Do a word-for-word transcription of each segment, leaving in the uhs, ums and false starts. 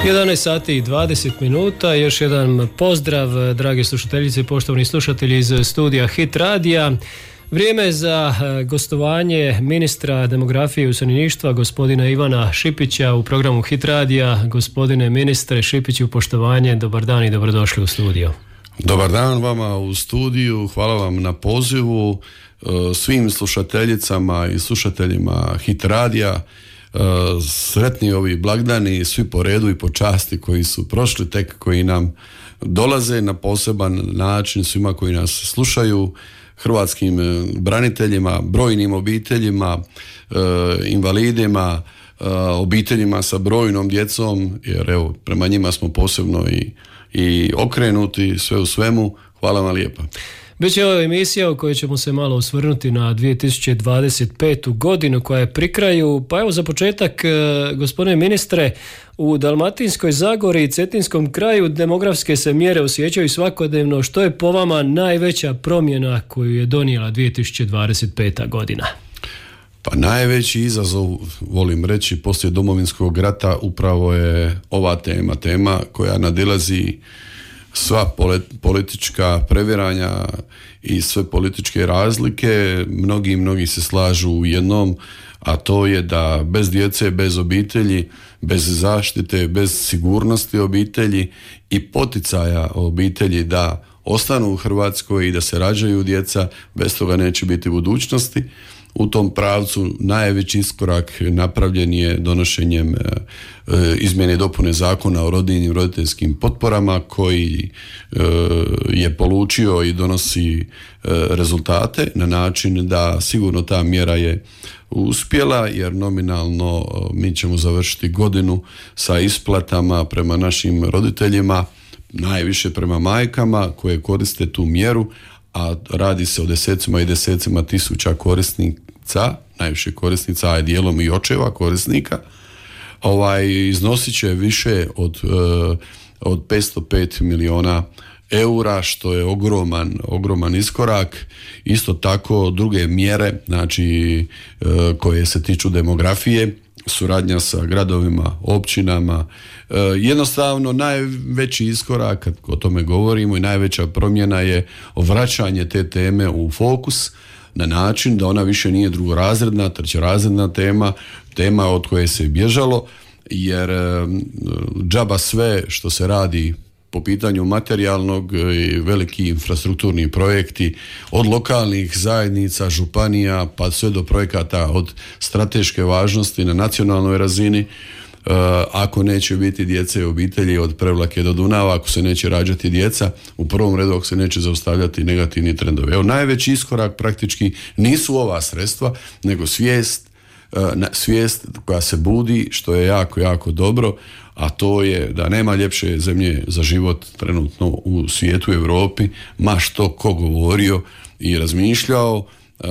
jedanaest sati i dvadeset minuta, još jedan pozdrav, drage slušateljice i poštovani slušatelji iz studija Hit radija. Vrijeme za gostovanje ministra demografije i useljeništva gospodina Ivana Šipića u programu Hit radija. Gospodine ministre Šipiću, poštovanje, dobar dan i dobrodošli u studio. Dobar dan vama u studiju, hvala vam na pozivu, svim slušateljicama i slušateljima Hit radija. Sretni ovi blagdani, svi po redu i po časti koji su prošli, tek koji nam dolaze na poseban način, svima koji nas slušaju, hrvatskim braniteljima, brojnim obiteljima, invalidima, obiteljima sa brojnom djecom, jer evo, prema njima smo posebno i, i okrenuti, sve u svemu. Hvala vam lijepa. Biće ova emisija u kojoj ćemo se malo osvrnuti na dvije tisuće dvadeset petu godinu koja je pri kraju. Pa evo za početak, gospodine ministre, u Dalmatinskoj Zagori i Cetinskom kraju demografske se mjere osjećaju svakodnevno. Što je po vama najveća promjena koju je donijela dvije tisuće dvadeset peta godina? Pa najveći izazov, volim reći, poslije Domovinskog rata upravo je ova tema, tema koja nadilazi sva politička previranja i sve političke razlike. Mnogi, mnogi se slažu u jednom, a to je da bez djece, bez obitelji, bez zaštite, bez sigurnosti obitelji i poticaja obitelji da ostanu u Hrvatskoj i da se rađaju djeca, bez toga neće biti budućnosti. U tom pravcu najveći iskorak napravljen je donošenjem e, izmjene i dopune zakona o rodiljnim roditeljskim potporama koji e, je polučio i donosi e, rezultate na način da sigurno ta mjera je uspjela, jer nominalno mi ćemo završiti godinu sa isplatama prema našim roditeljima, najviše prema majkama koje koriste tu mjeru, a radi se o desecima i desecima tisuća korisnica, najviše korisnica, a dijelom i očeva korisnika. Ovaj, iznosit će više od, od petsto pet milijuna eura, što je ogroman, ogroman iskorak. Isto tako druge mjere, znači koje se tiču demografije, suradnja sa gradovima, općinama. E, jednostavno najveći iskorak, kad o tome govorimo, i najveća promjena je vraćanje te teme u fokus na način da ona više nije drugorazredna, trećerazredna tema, tema od koje se bježalo, jer e, džaba sve što se radi po pitanju materijalnog i veliki infrastrukturni projekti od lokalnih zajednica, županija pa sve do projekata od strateške važnosti na nacionalnoj razini. Uh, ako neće biti djece i obitelji od Prevlake do Dunava, ako se neće rađati djeca, u prvom redu ako se neće zaustavljati negativni trendovi. Evo, najveći iskorak praktički nisu ova sredstva, nego svijest, uh, svijest koja se budi, što je jako, jako dobro, a to je da nema ljepše zemlje za život trenutno u svijetu, u Europi, ma što ko govorio i razmišljao uh,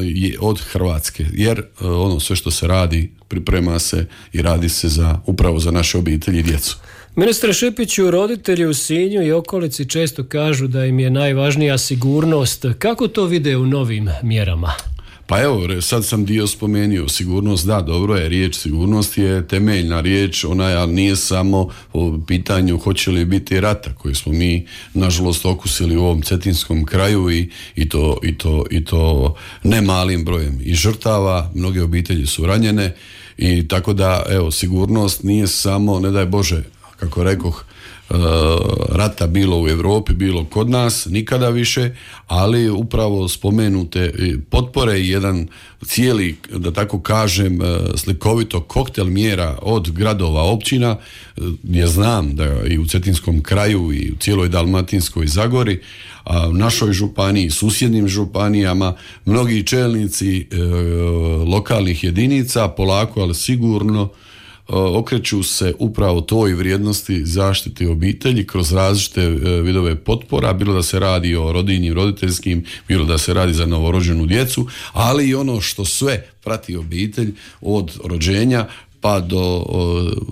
je od Hrvatske, jer uh, ono sve što se radi, priprema se i radi se za, upravo za naše obitelji i djecu. Ministre Šipiću, roditelji u Sinju i okolici često kažu da im je najvažnija sigurnost. Kako to vide u novim mjerama? Pa evo, sad sam dio spomenuo, sigurnost, da, dobro je, riječ sigurnost je temeljna riječ, ona nije samo o pitanju hoće li biti rata, koji smo mi nažalost okusili u ovom cetinskom kraju i, i, to, i, to, i to ne malim brojem i žrtava, mnoge obitelji su ranjene i tako da, evo, sigurnost nije samo, ne daj Bože, kako rekoh, rata bilo u Europi, bilo kod nas, nikada više, ali upravo spomenute potpore i jedan cijeli, da tako kažem, slikovito koktel mjera od gradova, općina, gdje znam da i u Cetinskom kraju i u cijeloj Dalmatinskoj Zagori, a u našoj županiji, susjednim županijama, mnogi čelnici e, lokalnih jedinica polako, ali sigurno okreću se upravo toj vrijednosti zaštiti obitelji kroz različite vidove potpora, bilo da se radi o rodiljnim, roditeljskim, bilo da se radi za novorođenu djecu, ali i ono što sve prati obitelj od rođenja pa do,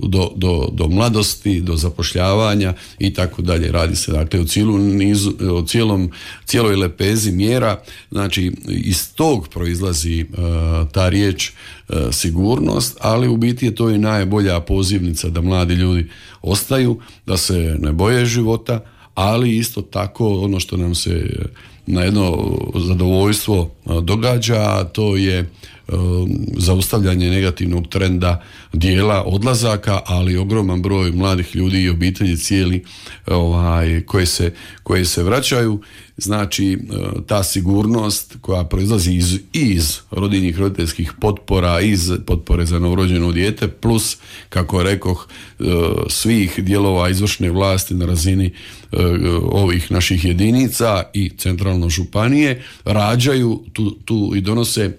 do, do, do mladosti, do zapošljavanja i tako dalje. Radi se dakle o cijelom nizu, o cijelom, cijeloj lepezi mjera. Znači iz tog proizlazi uh, ta riječ uh, sigurnost, ali u biti je to i najbolja pozivnica da mladi ljudi ostaju, da se ne boje života, ali isto tako ono što nam se na jedno zadovoljstvo događa, to je zaustavljanje negativnog trenda dijela odlazaka, ali ogroman broj mladih ljudi i obitelji cijeli ovaj, koje se, koje se vraćaju. Znači ta sigurnost koja proizlazi iz, iz rodiljnih roditeljskih potpora, iz potpore za novorođeno dijete, plus kako rekoh svih dijelova izvršne vlasti na razini ovih naših jedinica i centralno županije rađaju tu, tu i donose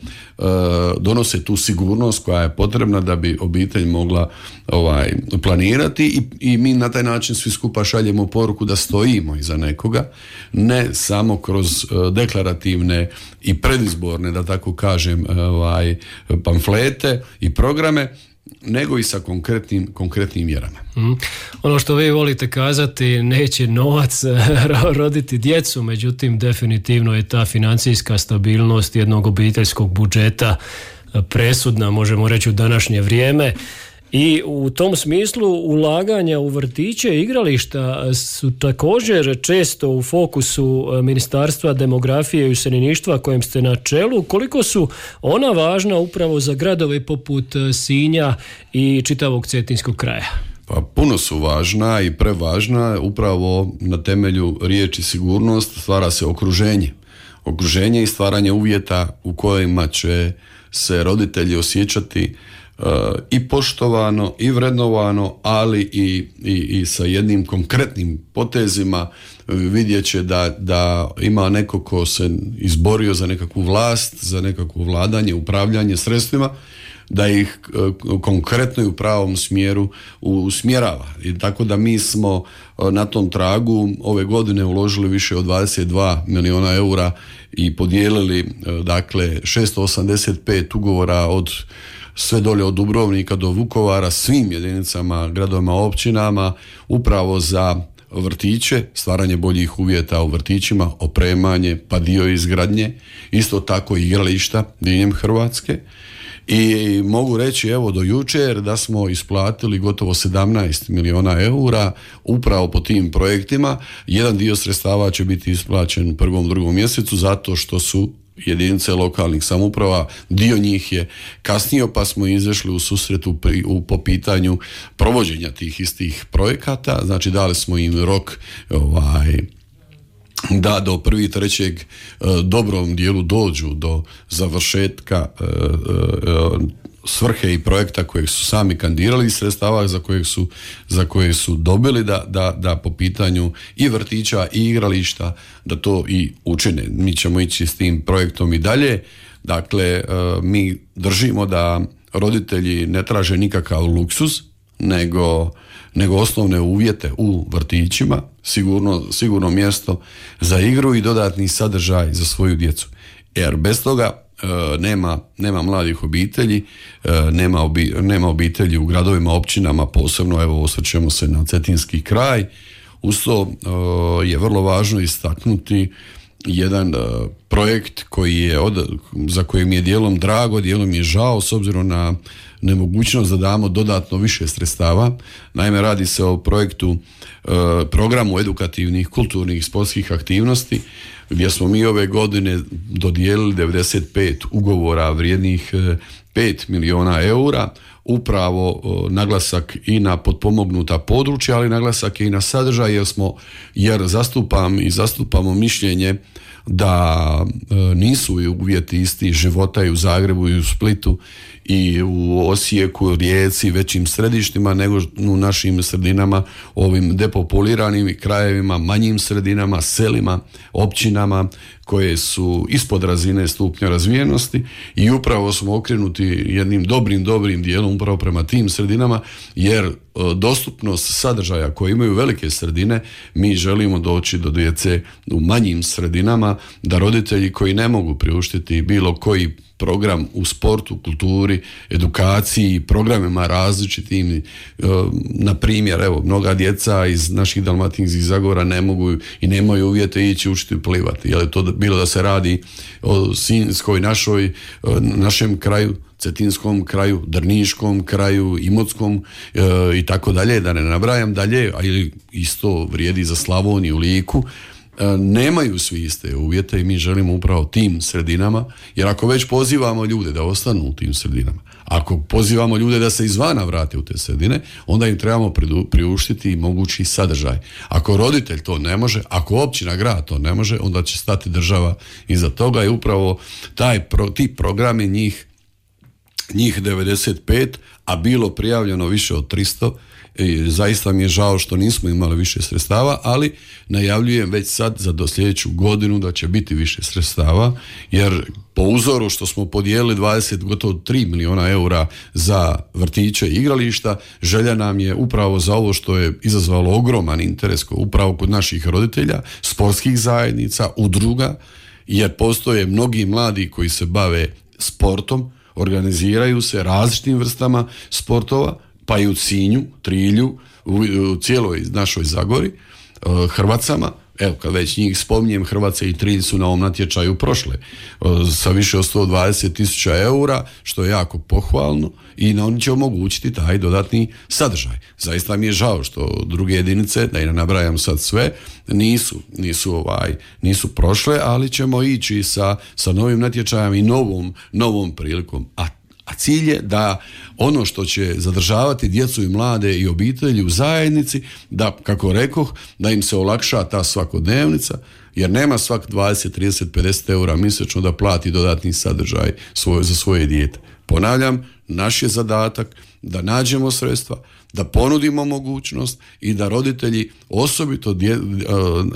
donose tu sigurnost koja je potrebna da bi obitelj mogla ovaj, planirati i, i mi na taj način svi skupa šaljemo poruku da stojimo iza nekoga, ne samo kroz deklarativne i predizborne, da tako kažem, ovaj, pamflete i programe, nego i sa konkretnim, konkretnim mjerama. Mm. Ono što vi volite kazati, neće novac roditi djecu, međutim definitivno je ta financijska stabilnost jednog obiteljskog budžeta presudna, možemo reći, u današnje vrijeme. I u tom smislu ulaganja u vrtiće i igrališta su također često u fokusu Ministarstva demografije i useljeništva kojem ste na čelu. Koliko su ona važna upravo za gradove poput Sinja i čitavog cetinskog kraja? Pa puno su važna i prevažna. Upravo na temelju riječi sigurnost stvara se okruženje. Okruženje i stvaranje uvjeta u kojima će se roditelji osjećati Uh, i poštovano i vrednovano, ali i, i, i sa jednim konkretnim potezima vidjet će da, da ima neko ko se izborio za nekakvu vlast, za nekakvo vladanje, upravljanje sredstvima, da ih uh, konkretno i u pravom smjeru usmjerava. I tako da mi smo uh, na tom tragu ove godine uložili više od dvadeset dva milijuna eura i podijelili uh, dakle šesto osamdeset pet ugovora od sve dolje od Dubrovnika do Vukovara, svim jedinicama, gradovima, općinama, upravo za vrtiće, stvaranje boljih uvjeta u vrtićima, opremanje, pa dio izgradnje, isto tako i igrališta diljem Hrvatske. I mogu reći evo do jučer da smo isplatili gotovo sedamnaest milijuna eura upravo po tim projektima. Jedan dio sredstava će biti isplaćen u prvom, drugom mjesecu zato što su jedinice lokalnih samouprava, dio njih je kasnio, pa smo izašli u susretu pri, u, po pitanju provođenja tih istih projekata. Znači dali smo im rok ovaj, da do prvi trećeg dobrom dijelu dođu do završetka e, e, svrhe i projekta kojeg su sami kandidirali i sredstava za kojeg su, za koje su dobili da, da, da po pitanju i vrtića i igrališta da to i učine. Mi ćemo ići s tim projektom i dalje. Dakle, mi držimo da roditelji ne traže nikakav luksuz, nego, nego osnovne uvjete u vrtićima, sigurno, sigurno mjesto za igru i dodatni sadržaj za svoju djecu. Jer bez toga Nema, nema mladih obitelji, nema, obi, nema obitelji u gradovima, općinama, posebno evo osvrćemo se na cetinski kraj. Uz to je vrlo važno istaknuti jedan projekt koji je od, za kojim je dijelom drago, dijelom je žao s obzirom na nemogućnost da damo dodatno više sredstava. Naime, radi se o projektu, programu edukativnih, kulturnih i sportskih aktivnosti gdje smo mi ove godine dodijelili devedeset pet ugovora vrijednih pet milijuna eura, upravo naglasak i na potpomognuta područja, ali naglasak je i na sadržaj jer smo, jer zastupam i zastupamo mišljenje da nisu uvjeti isti života i u Zagrebu i u Splitu i u Osijeku, Rijeci, većim središtima nego u našim sredinama, ovim depopuliranim krajevima, manjim sredinama, selima, općinama koje su ispod razine stupnja razvijenosti i upravo smo okrenuti jednim dobrim, dobrim dijelom usmjereno upravo prema tim sredinama, jer dostupnost sadržaja koje imaju velike sredine, mi želimo doći do djece u manjim sredinama, da roditelji koji ne mogu priuštiti bilo koji program u sportu, kulturi, edukaciji, programima različitim, na primjer, evo, mnoga djeca iz naših Dalmatinskih Zagora ne mogu i nemaju uvjete ići učiti plivati, jer je to bilo da se radi o Sinjskoj, našoj, našem kraju, Cetinskom kraju, Drniškom kraju, Imotskom e, i tako dalje, da ne nabrajam dalje, a ili isto vrijedi za Slavoniju, Liku, e, nemaju svi iste uvjete i mi želimo upravo tim sredinama, jer ako već pozivamo ljude da ostanu u tim sredinama, ako pozivamo ljude da se izvana vrate u te sredine, onda im trebamo priuštiti mogući sadržaj. Ako roditelj to ne može, ako općina, grad to ne može, onda će stati država iza toga i upravo taj, ti programi njih njih devedeset pet, a bilo prijavljeno više od tristo. I zaista mi je žao što nismo imali više sredstava, ali najavljujem već sad za do sljedeću godinu da će biti više sredstava, jer po uzoru što smo podijelili dvadeset, gotovo tri milijuna eura za vrtiće i igrališta, želja nam je upravo za ovo što je izazvalo ogroman interes upravo kod naših roditelja, sportskih zajednica, udruga, jer postoje mnogi mladi koji se bave sportom, organiziraju se različitim vrstama sportova, pa i u Sinju, Trilju, u, u cijeloj našoj Zagori, Hrvacama. Evo, kad već njih spominjem, Hrvace i Trilj su na ovom natječaju prošle sa više od sto dvadeset tisuća eura, što je jako pohvalno i na oni će omogućiti taj dodatni sadržaj. Zaista mi je žao što druge jedinice, da i ne nabrajam sad sve, nisu, nisu, ovaj, nisu prošle, ali ćemo ići sa, sa novim natječajem i novom, novom prilikom. A A cilj je da ono što će zadržavati djecu i mlade i obitelji u zajednici, da, kako rekoh, da im se olakša ta svakodnevnica, jer nema svak dvadeset, trideset, pedeset eura mjesečno da plati dodatni sadržaj svoj, za svoje dijete. Ponavljam, naš je zadatak da nađemo sredstva, da ponudimo mogućnost i da roditelji osobito dje,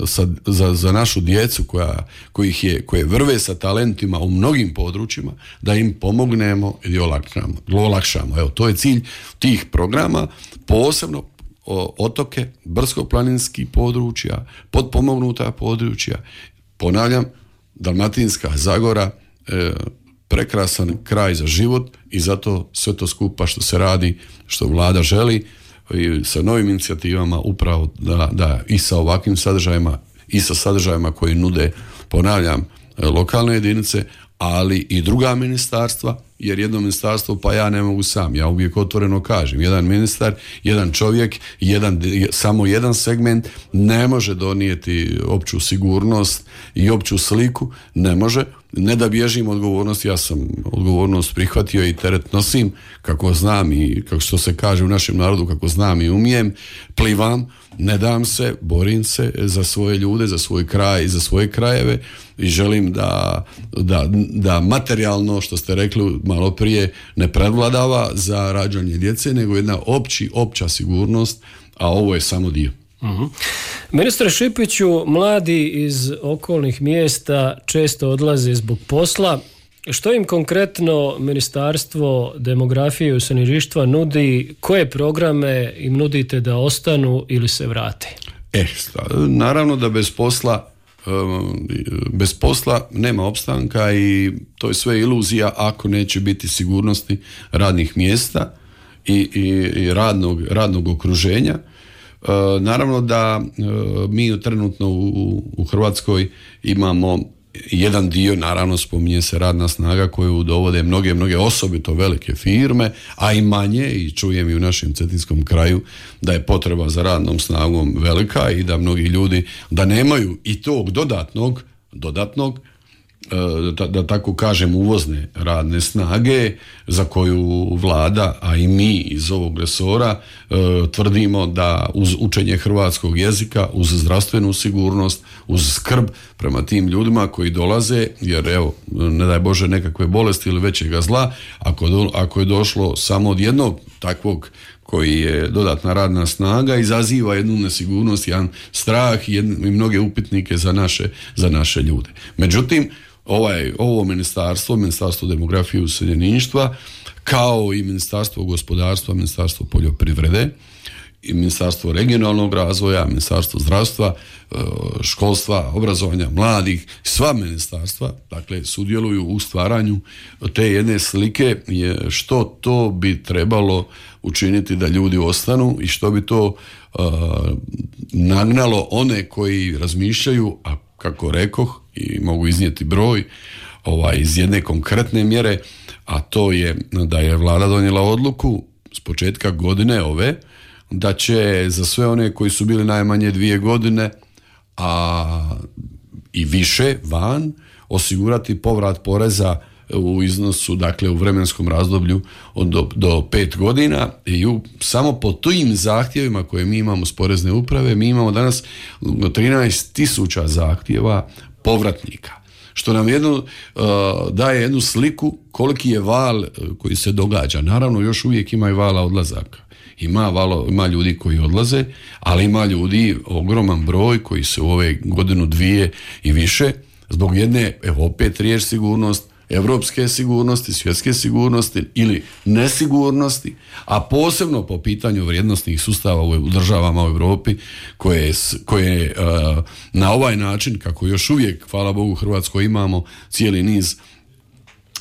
sa, za, za našu djecu koja, kojih je, koje vrve sa talentima u mnogim područjima, da im pomognemo i olakšamo. olakšamo. Evo, to je cilj tih programa, posebno o, otoke, brdsko-planinskih područja, potpomognuta područja. Ponavljam, Dalmatinska Zagora, e, prekrasan kraj za život i zato sve to skupa što se radi, što vlada želi i sa novim inicijativama upravo da, da i sa ovakvim sadržajima i sa sadržajima koji nude, ponavljam, lokalne jedinice, ali i druga ministarstva, jer jedno ministarstvo pa ja ne mogu sam, ja uvijek otvoreno kažem, jedan ministar, jedan čovjek, jedan, samo jedan segment ne može donijeti opću sigurnost i opću sliku, ne može, ne da bježim odgovornost, ja sam odgovornost prihvatio i teret nosim kako znam i kako što se kaže u našem narodu, kako znam i umijem, plivam, ne dam se, borim se za svoje ljude, za svoj kraj i za svoje krajeve i želim da, da, da materijalno, što ste rekli malo prije, ne prevladava za rađanje djece, nego jedna opći, opća sigurnost, a ovo je samo dio. Uh-huh. Ministre Šipiću, mladi iz okolnih mjesta često odlaze zbog posla. Što im konkretno Ministarstvo demografije i useljeništva nudi? Koje programe im nudite da ostanu ili se vrate? E, naravno da bez posla bez posla nema opstanka i to je sve iluzija ako neće biti sigurnosti radnih mjesta i, i, i radnog, radnog okruženja. Naravno da mi trenutno u, u Hrvatskoj imamo jedan dio, naravno spominje se radna snaga koju dovode mnoge, mnoge osobito velike firme, a i manje, i čujem i u našem cetinskom kraju da je potreba za radnom snagom velika i da mnogi ljudi da nemaju i tog dodatnog, dodatnog Da, da tako kažem uvozne radne snage za koju vlada, a i mi iz ovog resora e, tvrdimo da uz učenje hrvatskog jezika, uz zdravstvenu sigurnost, uz skrb prema tim ljudima koji dolaze, jer evo, ne daj Bože nekakve bolesti ili većega zla, ako, do, ako je došlo samo od jednog takvog koji je dodatna radna snaga, izaziva jednu nesigurnost, jedan strah i, jedne, i mnoge upitnike za naše, za naše ljude. Međutim, ovaj, ovo ministarstvo, Ministarstvo demografije i useljeništva, kao i Ministarstvo gospodarstva, Ministarstvo poljoprivrede, i Ministarstvo regionalnog razvoja, Ministarstvo zdravstva, školstva, obrazovanja, mladih, sva ministarstva, dakle, sudjeluju u stvaranju te jedne slike što to bi trebalo učiniti da ljudi ostanu i što bi to uh, nagnalo one koji razmišljaju, a kako rekoh i mogu iznijeti broj ovaj, iz jedne konkretne mjere, a to je da je vlada donijela odluku s početka godine ove, da će za sve one koji su bili najmanje dvije godine a i više van osigurati povrat poreza u iznosu, dakle u vremenskom razdoblju od do, do pet godina i u, samo po tim zahtjevima koje mi imamo s porezne uprave, mi imamo danas trinaest tisuća zahtjeva povratnika. Što nam jednu, uh, daje jednu sliku koliki je val uh, koji se događa. Naravno, još uvijek ima i vala odlazaka. Ima, valo, ima ljudi koji odlaze, ali ima ljudi, ogroman broj koji se u ove godinu dvije i više, zbog jedne, evo opet riječ sigurnost, evropske sigurnosti, svjetske sigurnosti ili nesigurnosti, a posebno po pitanju vrijednosnih sustava u državama u Europi koje, koje uh, na ovaj način, kako još uvijek, hvala Bogu, u Hrvatskoj imamo cijeli niz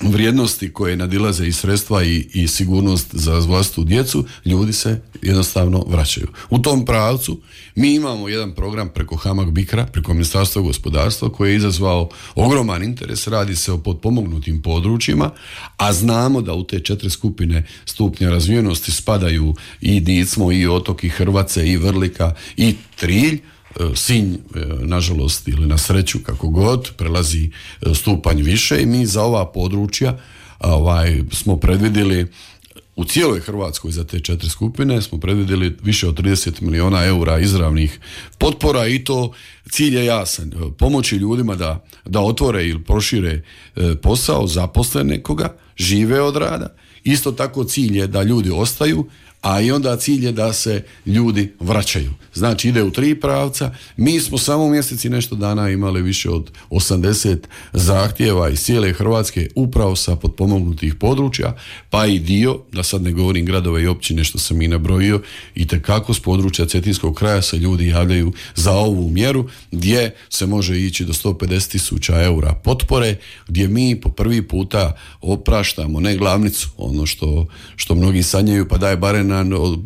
vrijednosti koje nadilaze i sredstva i, i sigurnost za vlastitu djecu, ljudi se jednostavno vraćaju. U tom pravcu mi imamo jedan program preko Hamag Bikra, preko Ministarstva gospodarstva, koji je izazvao ogroman interes. Radi se o potpomognutim područjima, a znamo da u te četiri skupine stupnja razvijenosti spadaju i Dicmo, i Otok, i Hrvace, i Vrlika, i Trilj. Sinj, nažalost ili na sreću, kako god, prelazi stupanj više i mi za ova područja ovaj, smo predvidjeli u cijeloj Hrvatskoj za te četiri skupine smo predvidjeli više od trideset milijuna eura izravnih potpora i to cilj je jasan. Pomoći ljudima da, da otvore ili prošire posao, zaposle nekoga, žive od rada. Isto tako cilj je da ljudi ostaju, a i onda cilj je da se ljudi vraćaju. Znači ide u tri pravca. Mi smo samo u mjeseci nešto dana imali više od osamdeset zahtjeva iz cijele Hrvatske upravo sa potpomognutih područja, pa i dio, da sad ne govorim gradove i općine što sam i nabrojio, i tekako s područja Cetinskog kraja se ljudi javljaju za ovu mjeru gdje se može ići do sto pedeset tisuća eura potpore, gdje mi po prvi puta opraštamo ne glavnicu, ono što, što mnogi sanjaju, pa daje bare na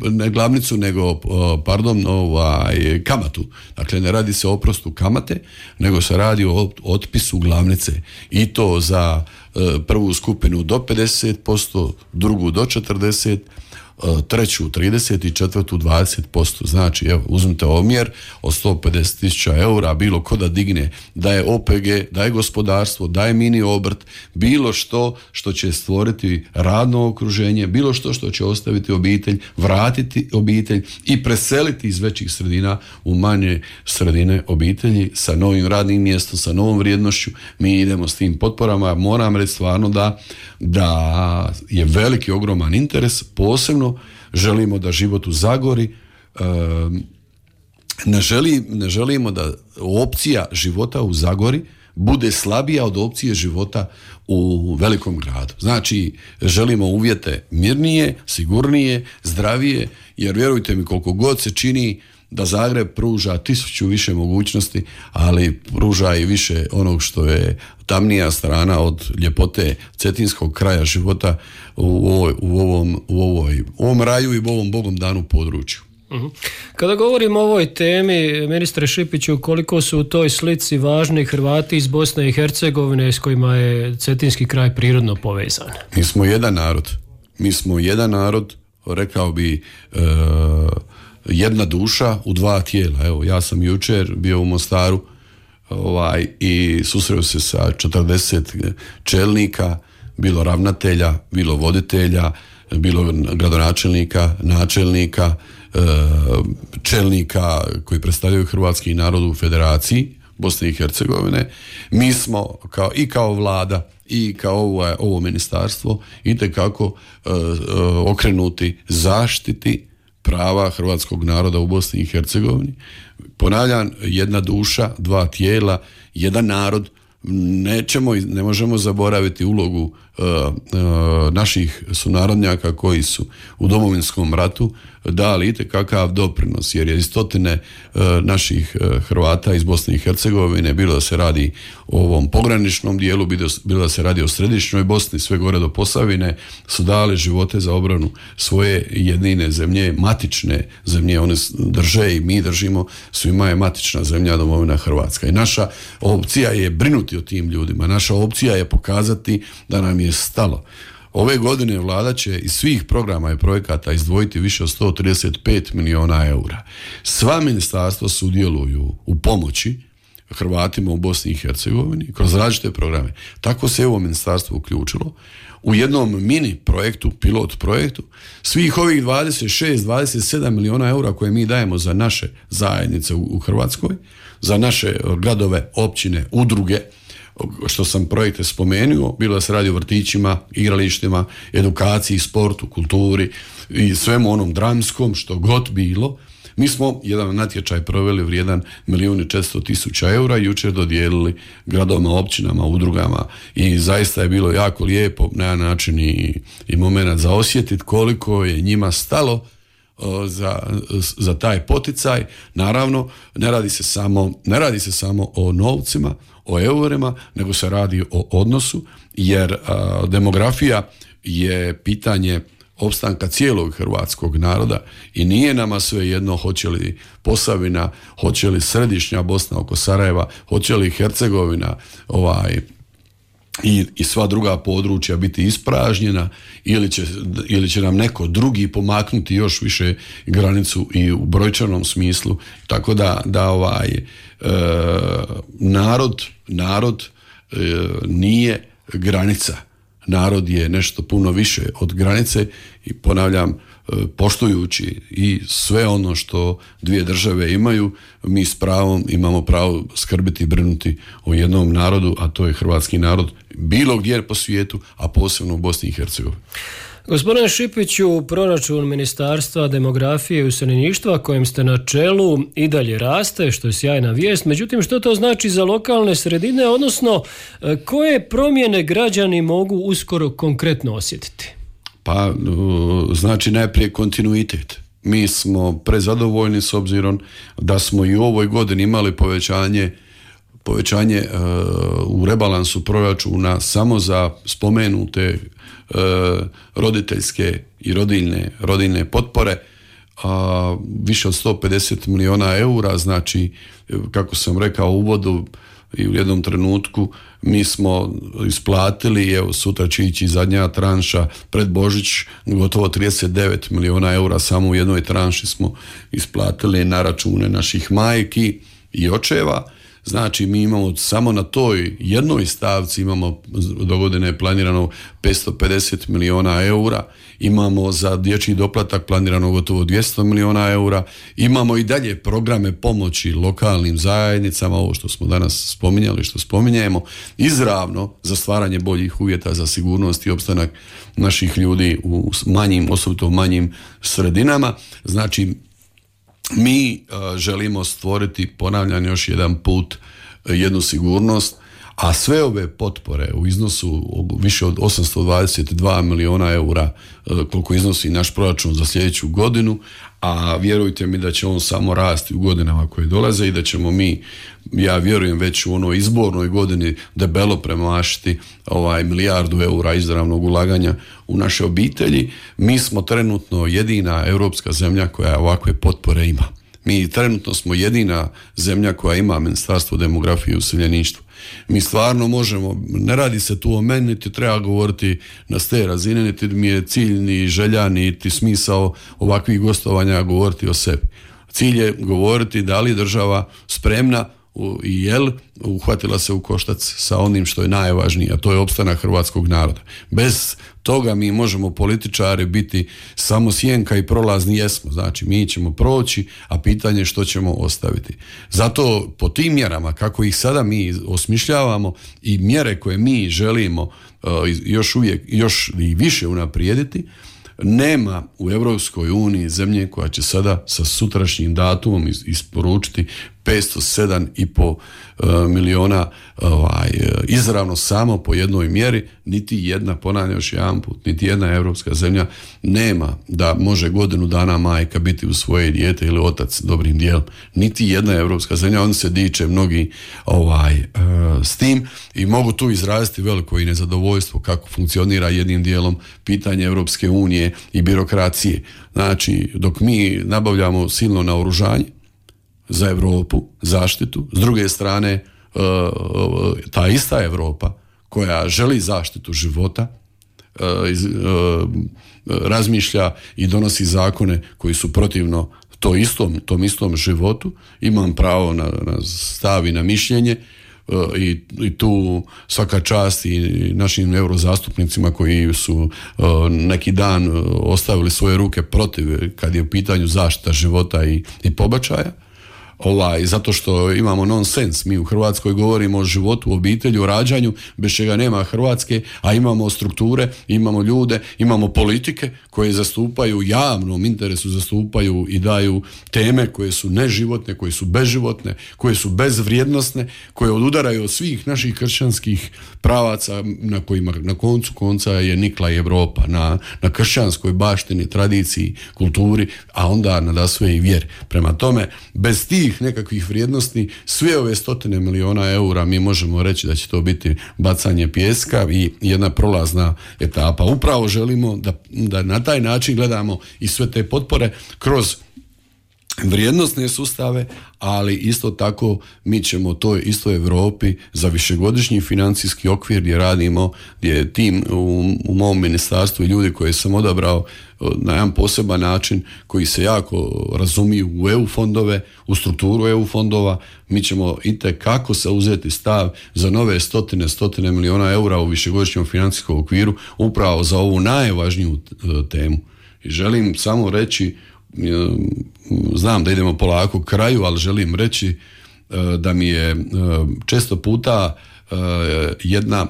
ne glavnicu, nego pardon, ovaj, kamatu. Dakle, ne radi se o oprostu kamate, nego se radi o otpisu glavnice. I to za e, prvu skupinu do pedeset posto, drugu do četrdeset posto, treću trideset i četvrtu dvadeset posto. Znači, evo, uzmite omjer od sto pedeset tisuća eura, bilo ko da digne, da je O P G, da je gospodarstvo, da je mini obrt, bilo što što će stvoriti radno okruženje, bilo što što će ostaviti obitelj, vratiti obitelj i preseliti iz većih sredina u manje sredine obitelji sa novim radnim mjestom, sa novom vrijednošću. Mi idemo s tim potporama. Moram reći stvarno da, da je veliki, ogroman interes, posebno želimo da život u Zagori, ne, želi, ne želimo da opcija života u Zagori bude slabija od opcije života u velikom gradu. Znači, želimo uvjete mirnije, sigurnije, zdravije, jer vjerujte mi, koliko god se čini da Zagreb pruža tisuću više mogućnosti, ali pruža i više onog što je tamnija strana od ljepote cetinskog kraja života u, ovoj, u, ovom, u, ovoj, u ovom raju i u ovom Bogom danu području. Uh-huh. Kada govorimo o ovoj temi, ministre Šipiću, koliko su u toj slici važni Hrvati iz Bosne i Hercegovine s kojima je cetinski kraj prirodno povezan? Mi smo jedan narod. Mi smo jedan narod, rekao bi, e, jedna duša u dva tijela. Evo, ja sam jučer bio u Mostaru ovaj, i susreo se sa četrdeset čelnika, bilo ravnatelja, bilo voditelja, bilo gradonačelnika, načelnika, čelnika koji predstavljaju hrvatski narod u Federaciji Bosne i Hercegovine. Mi smo kao, i kao vlada i kao ovo, ovo ministarstvo itekako uh, uh, okrenuti zaštiti prava hrvatskog naroda u Bosni i Hercegovini. Ponavljam, jedna duša, dva tijela, jedan narod. Nećemo, ne možemo zaboraviti ulogu uh, uh, naših sunarodnjaka koji su u Domovinskom ratu dali itekakav doprinos, jer je iz stotine uh, naših uh, Hrvata iz Bosne i Hercegovine, bilo da se radi o ovom pograničnom dijelu, bilo da se radi o središnjoj Bosni, sve gore do Posavine, su dali živote za obranu svoje jedine zemlje, matične zemlje, one drže i mi držimo, svima je matična zemlja domovina Hrvatska. I naša opcija je brinuti o tim ljudima, naša opcija je pokazati da nam je stalo. Ove godine vlada će iz svih programa i projekata izdvojiti više od sto trideset pet miliona eura. Sva ministarstva sudjeluju u pomoći Hrvatima u Bosni i Hercegovini kroz različite programe. Tako se ovo ministarstvo uključilo u jednom mini projektu, pilot projektu, svih ovih dvadeset šest dvadeset sedam miliona eura koje mi dajemo za naše zajednice u, u Hrvatskoj, za naše gradove, općine, udruge, što sam projekte spomenuo, bilo da se radi o vrtićima, igralištima, edukaciji, sportu, kulturi i svemu onom dramskom, što god bilo. Mi smo jedan natječaj proveli vrijedan milijun i četiristo tisuća eura i jučer dodijelili gradovima, općinama, udrugama i zaista je bilo jako lijepo na jedan način i, i moment za osjetiti koliko je njima stalo Za, za taj poticaj. Naravno, ne radi se samo, ne radi se samo o novcima, o eurima, nego se radi o odnosu, jer a, demografija je pitanje opstanka cijelog hrvatskog naroda i nije nama sve jedno hoće li Posavina, hoće li središnja Bosna oko Sarajeva, hoće li Hercegovina ovaj I, i sva druga područja biti ispražnjena ili će, ili će nam neko drugi pomaknuti još više granicu i u brojčanom smislu, tako da, da ovaj e, narod narod e, nije granica, narod je nešto puno više od granice i ponavljam, poštujući i sve ono što dvije države imaju, mi s pravom imamo pravo skrbiti i brinuti o jednom narodu, a to je hrvatski narod, bilo gdje po svijetu, a posebno u Bosni i Hercegovini. Gospodine Šipiću, proračun Ministarstva demografije i useljeništva kojem ste na čelu i dalje raste, što je sjajna vijest. Međutim, što to znači za lokalne sredine, odnosno koje promjene građani mogu uskoro konkretno osjetiti? Pa, znači najprije kontinuitet. Mi smo prezadovoljni s obzirom da smo i u ovoj godini imali povećanje povećanje uh, u rebalansu proračuna samo za spomenute uh, roditeljske i rodiljne, rodiljne potpore, a uh, više od sto pedeset miliona eura, znači kako sam rekao u uvodu i u jednom trenutku mi smo isplatili, evo sutra će ići zadnja tranša pred Božić, gotovo trideset devet miliona eura samo u jednoj tranši smo isplatili na račune naših majki i očeva. Znači mi imamo samo na toj jednoj stavci imamo do godine planirano petsto pedeset miliona eura, imamo za dječji doplatak planirano gotovo dvjesto miliona eura, imamo i dalje programe pomoći lokalnim zajednicama, ovo što smo danas spominjali, što spominjemo, izravno za stvaranje boljih uvjeta za sigurnost i opstanak naših ljudi u manjim, osobito manjim sredinama. Znači mi uh, želimo stvoriti, ponavljam još jedan put, uh, jednu sigurnost, a sve ove potpore u iznosu više od osamsto dvadeset dva miliona eura, uh, koliko iznosi naš proračun za sljedeću godinu, a vjerujte mi da će on samo rasti u godinama koje dolaze i da ćemo mi, ja vjerujem, već u onoj izbornoj godini debelo premašiti ovaj milijardu eura izravnog ulaganja u naše obitelji. Mi smo trenutno jedina europska zemlja koja ovakve potpore ima. Mi trenutno smo jedina zemlja koja ima Ministarstvo demografije i useljeništva. Mi stvarno možemo, ne radi se tu o meni, niti treba govoriti na ste razine, niti mi je cilj, ni želja, niti smisao ovakvih gostovanja govoriti o sebi. Cilj je govoriti da li država spremna i jel uhvatila se u koštac sa onim što je najvažnije, a to je opstanak hrvatskog naroda. Bez toga mi možemo političari biti samo sjenka i prolazni jesmo. Znači mi ćemo proći, a pitanje je što ćemo ostaviti. Zato po tim mjerama, kako ih sada mi osmišljavamo i mjere koje mi želimo uh, još uvijek, još i više unaprijediti, nema u Europskoj uniji zemlje koja će sada sa sutrašnjim datumom isporučiti petsto sedam i po miliona ovaj, izravno samo po jednoj mjeri. Niti jedna, ponavljam još jedan put, niti jedna europska zemlja nema da može godinu dana majka biti u svoje dijete ili otac dobrim dijelom. Niti jedna europska zemlja, on se diče mnogi ovaj, s tim i mogu tu izraziti veliko i nezadovoljstvo kako funkcionira jednim dijelom pitanje Europske unije i birokracije. Znači, dok mi nabavljamo silno naoružanje za Europu, zaštitu, s druge strane ta ista Europa koja želi zaštitu života razmišlja i donosi zakone koji su protivno to istom, tom istom životu. Imam pravo na, na stav i na mišljenje i, i tu svaka čast i našim eurozastupnicima koji su neki dan ostavili svoje ruke protiv kad je u pitanju zaštita života i, i pobačaja. Ovaj, zato što imamo nonsens. Mi u Hrvatskoj govorimo o životu, o obitelji, o rađanju, bez čega nema Hrvatske, a imamo strukture, imamo ljude, imamo politike koje zastupaju u javnom interesu, zastupaju i daju teme koje su neživotne, koje su bezživotne, koje su bezvrijednosne, koje odudaraju od svih naših kršćanskih pravaca na kojima na koncu konca je nikla i Europa, na, na kršćanskoj baštini, tradiciji, kulturi, a onda nadasve i vjeri. Prema tome, bez tih nekakvih vrijednosti, sve ove stotine miliona eura mi možemo reći da će to biti bacanje pijeska i jedna prolazna etapa. Upravo želimo da, da na taj način gledamo i sve te potpore kroz vrijednosne sustave, ali isto tako mi ćemo toj istoj Europi za višegodišnji financijski okvir gdje radimo, gdje je tim u, u mom ministarstvu i ljudi koje sam odabrao na jedan poseban način koji se jako razumiju u E U fondove, u strukturu E U fondova, mi ćemo itekako se uzeti stav za nove stotine, stotine miliona eura u višegodišnjem financijskom okviru upravo za ovu najvažniju temu. I želim samo reći, znam da idemo polako k kraju, ali želim reći da mi je često puta jedna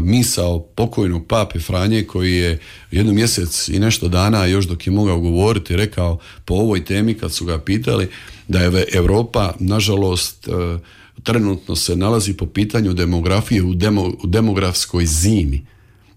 misao pokojnog pape Franje koji je jednu mjesec i nešto dana još dok je mogao govoriti rekao po ovoj temi kad su ga pitali da je Europa nažalost trenutno se nalazi po pitanju demografije u, demo, u demografskoj zimi.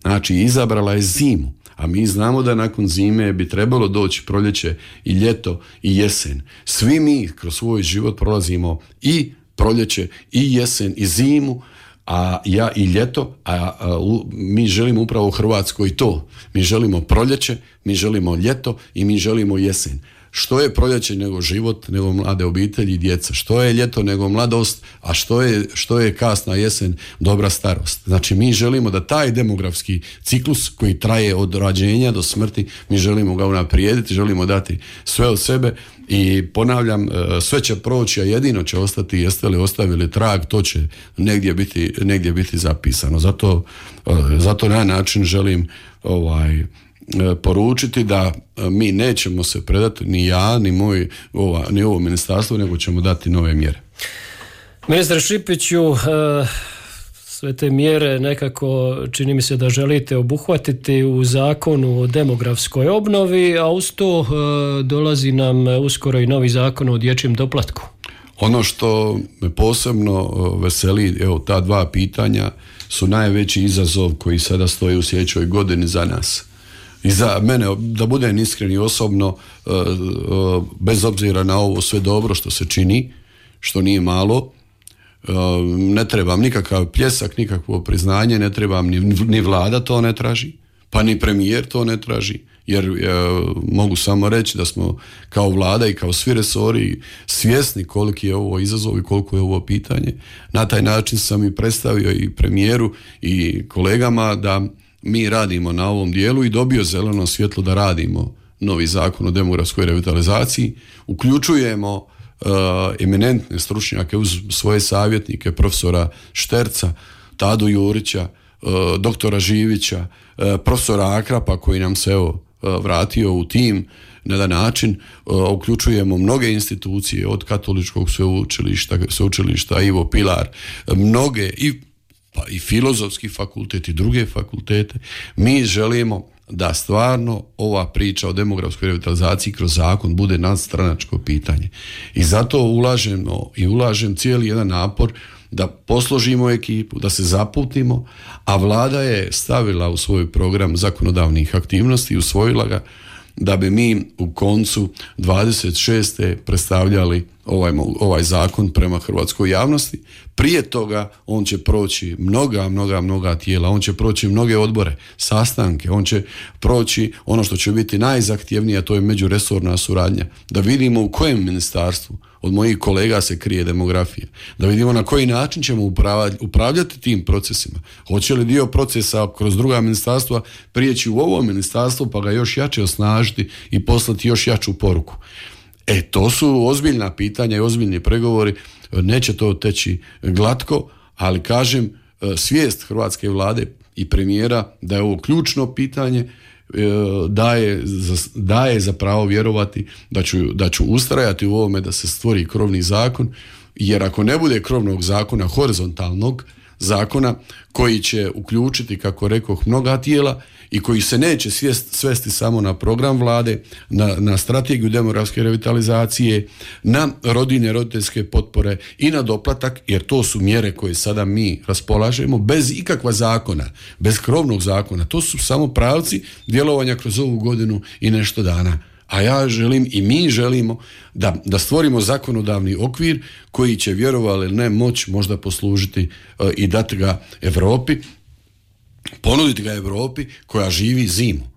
Znači izabrala je zimu. A mi znamo da nakon zime bi trebalo doći proljeće i ljeto i jesen. Svi mi kroz svoj život prolazimo i proljeće i jesen i zimu, a ja i ljeto, a, a u, mi želimo upravo u Hrvatskoj to. Mi želimo proljeće, mi želimo ljeto i mi želimo jesen. Što je proljeće nego život, nego mlade obitelji i djeca? Što je ljeto nego mladost, a što je, što je kasna jesen, dobra starost? Znači mi želimo da taj demografski ciklus koji traje od rođenja do smrti, mi želimo ga unaprijediti, želimo dati sve od sebe i ponavljam, sve će proći, a jedino će ostati, jeste li ostavili trag, to će negdje biti, negdje biti zapisano. Zato, zato na način želim ovaj poručiti da mi nećemo se predati, ni ja, ni moj, ova, ni ovo ministarstvo, nego ćemo dati nove mjere. Ministre Šipiću, sve te mjere nekako čini mi se da želite obuhvatiti u zakonu o demografskoj obnovi, a uz to dolazi nam uskoro i novi zakon o dječjem doplatku. Ono što me posebno veseli, evo ta dva pitanja su najveći izazov koji sada stoji u sljedećoj godini za nas. I za mene, da budem iskren i osobno, bez obzira na ovo sve dobro što se čini, što nije malo, ne trebam nikakav pljesak, nikakvo priznanje, ne trebam ni, ni vlada to ne traži, pa ni premijer to ne traži, jer e, mogu samo reći da smo kao vlada i kao svi resori svjesni koliki je ovo izazov i koliko je ovo pitanje. Na taj način sam i predstavio i premijeru i kolegama da mi radimo na ovom dijelu i dobio zeleno svjetlo da radimo novi zakon o demografskoj revitalizaciji. Uključujemo uh, eminentne stručnjake uz svoje savjetnike, profesora Šterca, Tadu Jurića, uh, doktora Živića, uh, profesora Akrapa koji nam se evo uh, vratio u tim na jedan način. Uh, uključujemo mnoge institucije od Katoličkog sveučilišta, sveučilišta Ivo Pilar, mnoge i pa i filozofski fakultet i druge fakultete. Mi želimo da stvarno ova priča o demografskoj revitalizaciji kroz zakon bude nadstranačko pitanje. I zato ulažemo i ulažem cijeli jedan napor da posložimo ekipu, da se zaputimo, a vlada je stavila u svoj program zakonodavnih aktivnosti i usvojila ga da bi mi u koncu dvadeset šeste predstavljali ovaj, ovaj zakon prema hrvatskoj javnosti. Prije toga on će proći mnoga, mnoga, mnoga tijela, on će proći mnoge odbore, sastanke, on će proći ono što će biti najzahtjevnije, a to je međuresorna suradnja. Da vidimo u kojem ministarstvu od mojih kolega se krije demografija. Da vidimo na koji način ćemo upravljati tim procesima. Hoće li dio procesa kroz druga ministarstva prijeći u ovo ministarstvo pa ga još jače osnažiti i poslati još jaču poruku. E, to su ozbiljna pitanja i ozbiljni pregovori. Neće to teći glatko, ali kažem, svijest hrvatske vlade i premijera da je ovo ključno pitanje, daje, daje za pravo vjerovati da ću, da ću ustrajati u ovome da se stvori krovni zakon, jer ako ne bude krovnog zakona, horizontalnog zakona koji će uključiti, kako rekoh, mnoga tijela i koji se neće svest, svesti samo na program vlade, na, na strategiju demografske revitalizacije, na rodiljne, roditeljske potpore i na doplatak, jer to su mjere koje sada mi raspolažemo bez ikakva zakona, bez krovnog zakona. To su samo pravci djelovanja kroz ovu godinu i nešto dana. A ja želim i mi želimo da, da stvorimo zakonodavni okvir koji će, vjerovali ili ne, moć možda poslužiti uh, i dati ga Europi, ponuditi ga Europi koja živi zimu,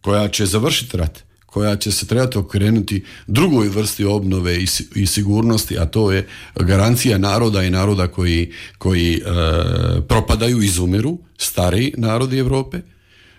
koja će završiti rat, koja će se trebati okrenuti drugoj vrsti obnove i, i sigurnosti, a to je garancija naroda i naroda koji, koji uh, propadaju, izumiru, stariji narodi Europe.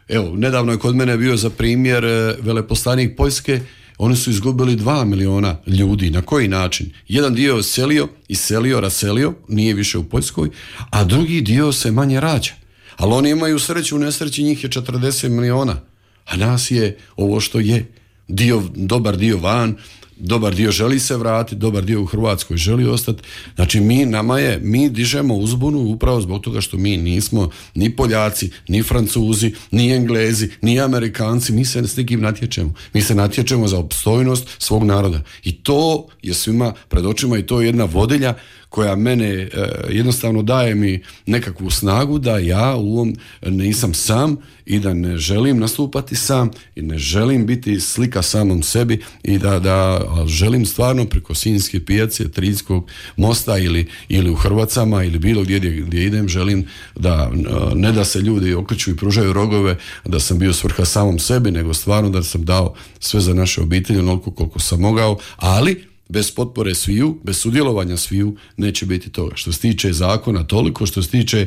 Evo, nedavno je kod mene bio za primjer veleposlanik Poljske, oni su izgubili dva miliona ljudi. Na koji način? Jedan dio je selio, iselio, raselio, nije više u Poljskoj, a drugi dio se manje rađa. Ali oni imaju sreću, u nesreći njih je četrdeset miliona, a nas je ovo što je. Dio, dobar dio van, dobar dio želi se vratiti, dobar dio u Hrvatskoj želi ostati. Znači mi, nama je, mi dižemo uzbunu upravo zbog toga što mi nismo ni Poljaci, ni Francuzi, ni Englezi, ni Amerikanci, mi se s nikim natječemo. Mi se natječemo za opstojnost svog naroda. I to je svima pred očima i to je jedna vodilja koja mene e, jednostavno daje mi nekakvu snagu da ja u ovom nisam sam i da ne želim nastupati sam i ne želim biti slika samom sebi i da, da želim stvarno preko Sinjske pijace, Triljskog mosta ili, ili u Hrvacama ili bilo gdje, gdje idem, želim da ne da se ljudi okreću i pružaju rogove, da sam bio svrha samom sebi, nego stvarno da sam dao sve za naše obitelji onoliko koliko sam mogao, ali bez potpore sviju, bez sudjelovanja sviju neće biti toga. Što se tiče zakona, toliko. Što se tiče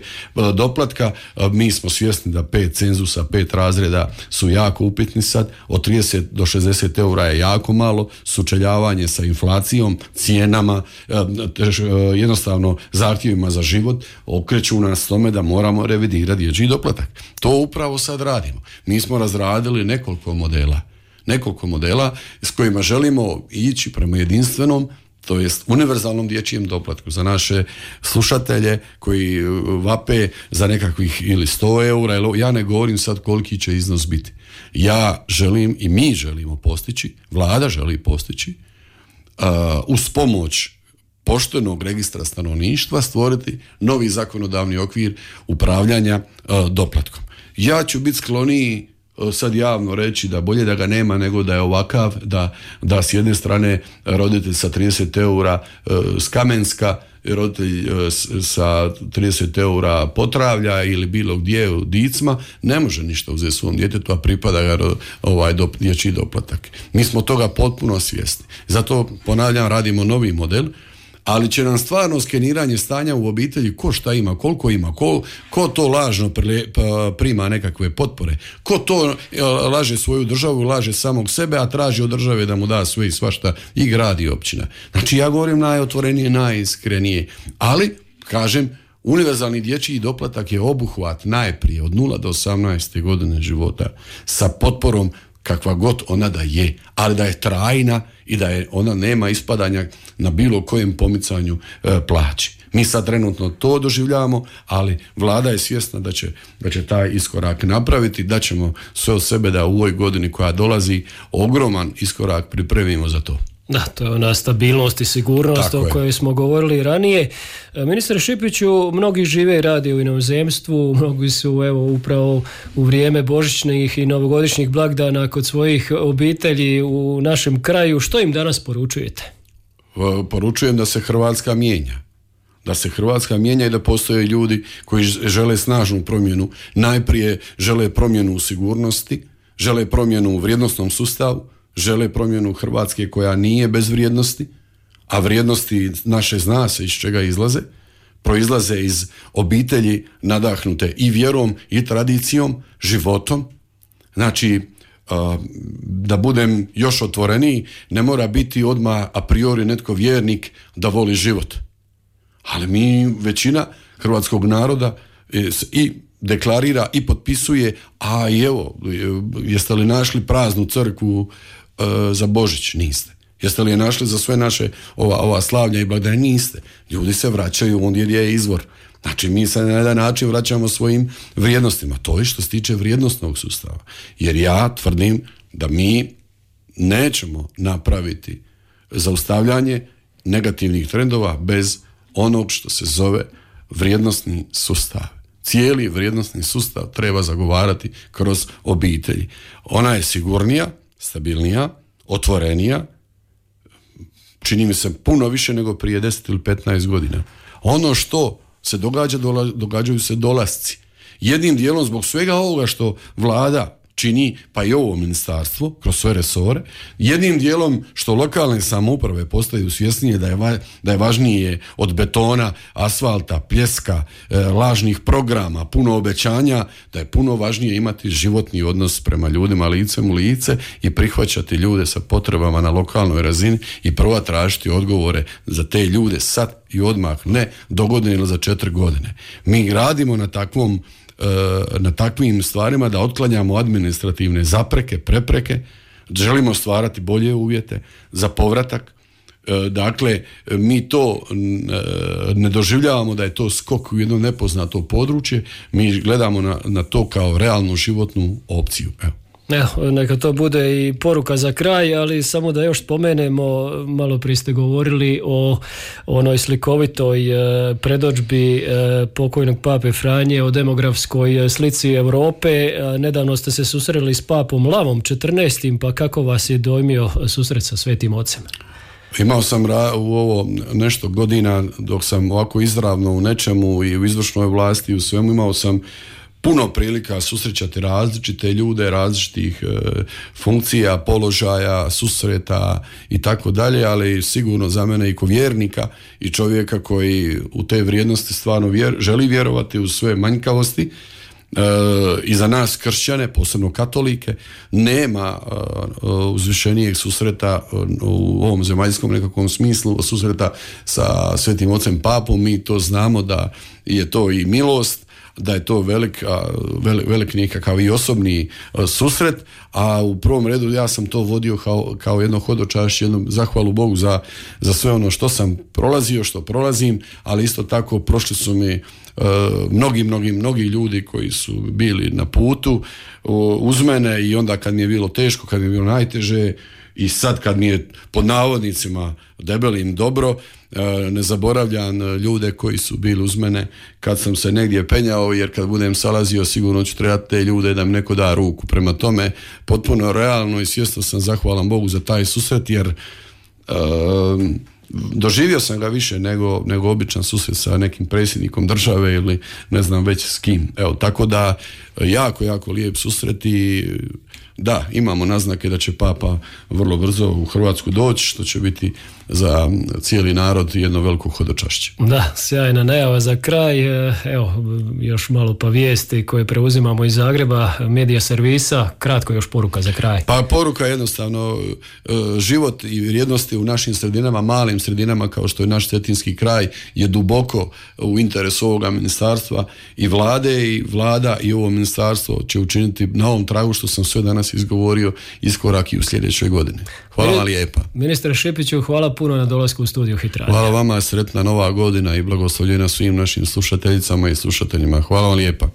doplatka, mi smo svjesni da pet cenzusa, pet razreda su jako upitni sad. Od trideset do šezdeset eura je jako malo. Sučeljavanje sa inflacijom, cijenama, jednostavno zahtjevima za život okreću nas tome da moramo revidirati dječji doplatak. To upravo sad radimo. Mi smo razradili nekoliko modela. nekoliko modela s kojima želimo ići prema jedinstvenom, to jest univerzalnom dječjem doplatku za naše slušatelje koji vape za nekakvih ili sto eura, ili, ja ne govorim sad koliki će iznos biti. Ja želim i mi želimo postići, vlada želi postići, uh, uz pomoć poštenog registra stanovništva stvoriti novi zakonodavni okvir upravljanja uh, doplatkom. Ja ću biti skloniji sad javno reći da bolje da ga nema nego da je ovakav, da, da s jedne strane roditelj sa trideset eura s Kamenska, roditelj sa trideset eura Potravlja ili bilo gdje u Dicma ne može ništa uzeti svom djetetu, a pripada ga ovaj dop, dječji doplatak. Mi smo toga potpuno svjesni. Zato, ponavljam, radimo novi model, ali će nam stvarno skeniranje stanja u obitelji, ko šta ima, koliko ima, ko, ko to lažno prima nekakve potpore, ko to laže svoju državu, laže samog sebe, a traži od države da mu da sve i svašta i grad i općina. Znači ja govorim najotvorenije, najiskrenije, ali kažem, univerzalni dječji doplatak je obuhvat najprije od nula do osamnaeste godine života sa potporom kakva god ona da je, ali da je trajna i da je ona nema ispadanja na bilo kojem pomicanju e, plaći. Mi sad trenutno to doživljavamo, ali vlada je svjesna da će, da će taj iskorak napraviti, da ćemo sve od sebe da u ovoj godini koja dolazi ogroman iskorak pripremimo za to. Da, to je ona stabilnost i sigurnost Tako o kojoj je. smo govorili ranije. Ministre Šipiću, mnogi žive i rade u inozemstvu, mnogi su evo upravo u vrijeme božićnih i novogodišnjih blagdana kod svojih obitelji u našem kraju. Što im danas poručujete? Poručujem da se Hrvatska mijenja. Da se Hrvatska mijenja i da postoje ljudi koji žele snažnu promjenu. Najprije žele promjenu u sigurnosti, žele promjenu u vrijednosnom sustavu, žele promjenu Hrvatske koja nije bez vrijednosti, a vrijednosti naše zna se iz čega izlaze, proizlaze iz obitelji nadahnute i vjerom i tradicijom, životom. Znači, da budem još otvoreniji, ne mora biti odmah a priori netko vjernik da voli život. Ali mi, većina hrvatskog naroda i deklarira i potpisuje, a i evo, jeste li našli praznu crkvu e, za Božić? Niste. Jeste li je našli za sve naše ova, ova slavlja i blagdane? Niste. Ljudi se vraćaju ondje gdje je izvor. Znači mi se na jedan način vraćamo svojim vrijednostima. To je što se tiče vrijednosnog sustava. Jer ja tvrdim da mi nećemo napraviti zaustavljanje negativnih trendova bez onog što se zove vrijednosni sustav. Cijeli vrijednosni sustav treba zagovarati kroz obitelji. Ona je sigurnija, stabilnija, otvorenija, čini mi se puno više nego prije deset ili petnaest godina. Ono što se događa, događaju se dolasci. Jednim dijelom zbog svega ovoga što vlada čini, pa i ovo ministarstvo, kroz sve resore, jednim dijelom što lokalne samouprave postaju svjesnije da je, va, da je važnije od betona, asfalta, pljeska, e, lažnih programa, puno obećanja, da je puno važnije imati životni odnos prema ljudima licem u lice i prihvaćati ljude sa potrebama na lokalnoj razini i prvo tražiti odgovore za te ljude sad i odmah, ne dogodine ili za četiri godine. Mi radimo na takvom na takvim stvarima da otklanjamo administrativne zapreke, prepreke, želimo stvarati bolje uvjete za povratak. Dakle, mi to ne doživljavamo da je to skok u jedno nepoznato područje, mi gledamo na, na to kao realnu životnu opciju. Evo. Evo, neka to bude i poruka za kraj, ali samo da još spomenemo, malo prije ste govorili o onoj slikovitoj e, predodžbi e, pokojnog pape Franje o demografskoj slici Europe. E, nedavno ste se susreli s papom Lavom četrnaestim, pa kako vas je dojmio susret sa Svetim Ocem? Imao sam ra- u ovo nešto godina dok sam ovako izravno u nečemu i u izvršnoj vlasti i u svemu, imao sam puno prilika susrećati različite ljude, različitih e, funkcija, položaja, susreta i tako dalje, ali sigurno za mene i ko vjernika i čovjeka koji u te vrijednosti stvarno vjer, želi vjerovati u sve manjkavosti. E, i za nas kršćane, posebno katolike, nema e, uzvišenijeg susreta u ovom zemaljskom nekakvom smislu, susreta sa Svetim Ocem Papom. Mi to znamo da je to i milost, da je to velik, velik, velik nekakav i osobni susret, a u prvom redu ja sam to vodio kao, kao jedno hodočašće, jednu zahvalu Bogu za, za sve ono što sam prolazio, što prolazim, ali isto tako prošli su mi uh, mnogi, mnogi, mnogi ljudi koji su bili na putu uh, uz mene i onda kad mi je bilo teško, kad mi je bilo najteže i sad kad mi je pod navodnicima debelim dobro, ne zaboravljam ljude koji su bili uz mene kad sam se negdje penjao, jer kad budem salazio sigurno ću trebati te ljude da mi neko da ruku. Prema tome, potpuno realno i svjesno sam zahvalan Bogu za taj susret, jer um, doživio sam ga više nego, nego običan susret sa nekim predsjednikom države ili ne znam već s kim. Evo, tako da jako, jako lijep susret i da, imamo naznake da će Papa vrlo brzo u Hrvatsku doći, što će biti za cijeli narod jedno veliko hodočašće. Da, sjajna najava za kraj. Evo, još malo pa vijesti koje preuzimamo iz Zagreba, medija servisa, kratko još poruka za kraj. Pa poruka jednostavno, život i vrijednosti u našim sredinama, malim sredinama kao što je naš cetinski kraj, je duboko u interesu ovoga ministarstva i vlade, i vlada i ovo ministarstvo će učiniti na ovom tragu što sam sve danas danas izgovorio, iskorak i u sljedećoj godini. Hvala vam lijepa. Ministre Šipiću, hvala puno na dolasku u studiju Hit Radio. Hvala vama, sretna nova godina i blagoslovljena svim našim slušateljicama i slušateljima. Hvala vam lijepa.